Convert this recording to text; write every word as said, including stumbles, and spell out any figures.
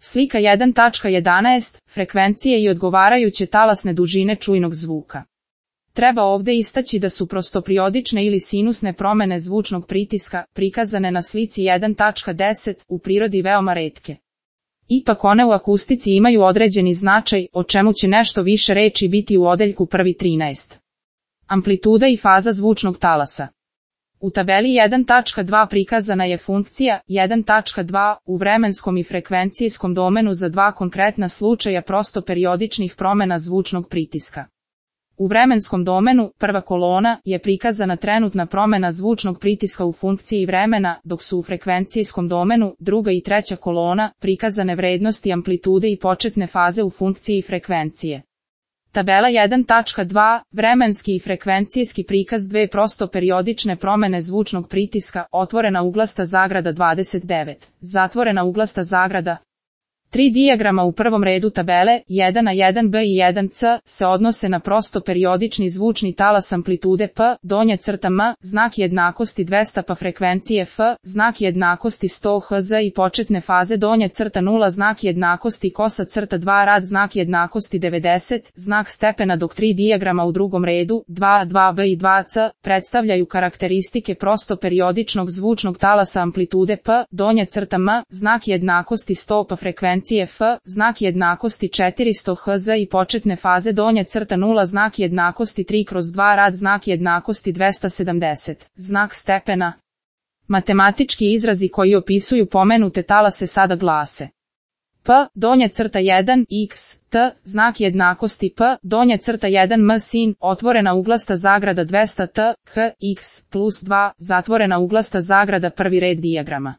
Slika jedan tačka jedanaest. Frekvencije i odgovarajuće talasne dužine čujnog zvuka. Treba ovdje istaći da su prostoperiodične ili sinusne promjene zvučnog pritiska, prikazane na slici jedan tačka deset, u prirodi veoma retke. Ipak one u akustici imaju određeni značaj, o čemu će nešto više reči biti u odeljku prvi trinaest. Amplituda i faza zvučnog talasa. U tabeli jedan tačka dva prikazana je funkcija jedan tačka dva u vremenskom i frekvencijskom domenu za dva konkretna slučaja prostoperiodičnih promjena zvučnog pritiska. U vremenskom domenu, prva kolona, je prikazana trenutna promjena zvučnog pritiska u funkciji vremena, dok su u frekvencijskom domenu, druga i treća kolona, prikazane vrednosti amplitude i početne faze u funkciji frekvencije. Tabela jedan tačka dva, vremenski i frekvencijski prikaz dve prostoperiodične promjene zvučnog pritiska, otvorena uglasta zagrada dvadeset devet, zatvorena uglasta zagrada. Tri dijagrama u prvom redu tabele, jedan a, jedan be i jedan ce, se odnose na prostoperiodični zvučni talas amplitude P, donja crta M, znak jednakosti dvesta pa frekvencije F, znak jednakosti sto hertz i početne faze donja crta nula, znak jednakosti kosa crta dva rad, znak jednakosti devedeset, znak stepena, dok tri dijagrama u drugom redu, dva a, dva be i dva ce, predstavljaju karakteristike prostoperiodičnog zvučnog talasa amplitude P, donja crta M, znak jednakosti sto pa frekvencije F, znak jednakosti četiristo hertz i početne faze donja crta nula, znak jednakosti tri kroz dva rad, znak jednakosti dvesta sedamdeset, znak stepena. Matematički izrazi koji opisuju pomenute talase sada glase: P, donja crta jedan, x, t, znak jednakosti P, donja crta jedan m sin, otvorena uglasta zagrada dvesta t, h, x, plus dva, zatvorena uglasta zagrada prvi red dijagrama.